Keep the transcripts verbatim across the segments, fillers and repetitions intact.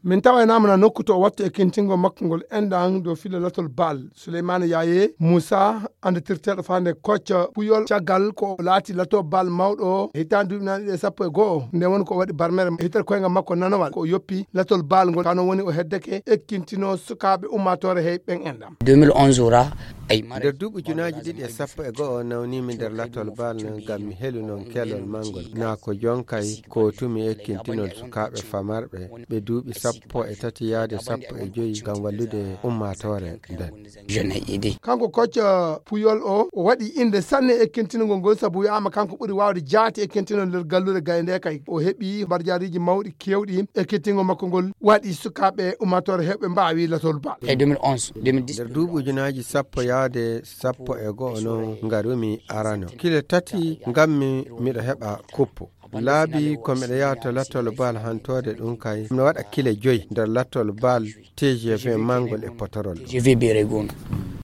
Min tawaynaama na nokku to o watta ekkintingol makko ngol enɗan dow filo latol Baal. Suleymaana Yaaye Muusa, annditirteeɗo faande kocca Puyol, caggal ko o laati latol Baal mawɗo o, hitaande duuɓi naaɗi ɗe sappo e go'o, nde woni ko o waɗi barmere hitere koyngal makko nanowal, ko o yoppi latol Baal ngol, kano woni o heddake ekkintinoo sukaaɓe ummaatoore hey ɓen enɗan. deux mille onze ora, ay mara- Nder duuɓi junaaji ɗiɗi e sappo e go'o, nawnii mi nder latol Baal ngam mi helu non kelol mangol. Naa ko jonkay ko tumi ekkintinol sukaaɓe famarɓe ɓe duuɓi sappo e tati yaade sappo e joyi ngam wallude ummaatoore nden. Jeune idi. Kanko kocca Puyol o, o waɗi innde sanne e ekkintinol ngol, sabu wi'aama kanko ɓuri waawde jaati ekkintinol nder galluure gaynde kay. O heɓi barjaariiji mawɗi keewɗi, ekkintingol makko ngol waɗi sukaaɓe ummaatoore heewɓe mbaawi latol Baal. E deux mille onze, deux mille dix. Nder duuɓi ujunaaji sappo yaade sappo e go'o non ngarumi arano. Kile tati ngammi miɗo heɓa kuppu. Laabi ko miɗo yaha to latol Baal hantoode ɗum kay. Miɗo waɗa kile joyi nder latol Baal T G V mangol e potorol. T G V bere gonga.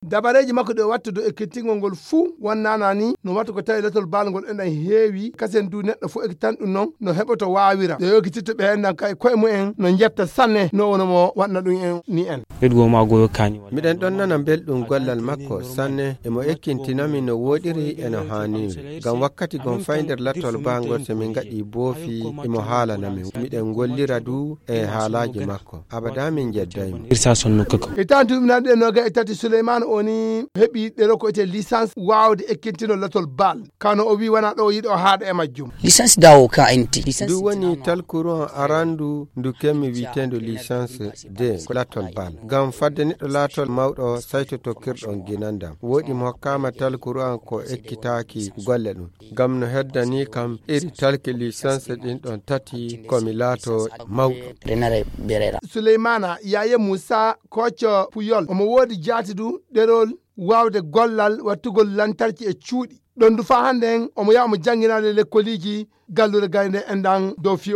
Dabareeji makko ɗe o watta dow ekkintingol ngol fuu wonnaana ni no watta ko tawi latol Baal ngol enɗan heewi, kasen du neɗɗo fuu ekkitan ɗum non no heɓoto waawira. Ɗe o ekkitirta ɓe enɗan kay koye mumen no njetta sanne no wono mo waɗna ɗum en ni en. Ɓeɗgo ma goyo kani wala. Miɗen ɗon nana belɗum gollal makko sanne, emo ekkintinami no wooɗiri e no haaniri. Ngam wakkati gon fay nder latol Baal ngol so min ngaɗi boofi, emo haalana min. Miɗen ngollira du e haalaaji makko. Abada min njeddaymo. Irsa sonno kaka. E tan duuɓi naaɗi e noga e tati, Suleymaana o ni heɓi ɗeɗo ko ete licence waawde ekkintinol latol Baal. Kano o wi wona ɗo o yiɗo o haaɗa e majjum. Licence dawo ka enti. Licence ndu woni talkuru an arandu ndu kemmi wi'eteendu licence de ko latol Baal. Ngam fadde neɗɗo laatol mawɗo saytoto kirɗon ginandam. Woɗi mo hokkaama talkuru an ko ekkitaaki golle ɗum. Ngam no heddani kam iri talki licence ɗin ɗon tati ko mi laato mawɗo. Renare berera. Suleymaana Yaaye Muusa kocco Puyol, omo woodi jaati du ɗerol waawde gollal wattugol lantarki e cuuɗi. Ɗon du faa hannden omo yaha omo jannginaade lekkoliiji galluure gaynde enɗan dow fiyo.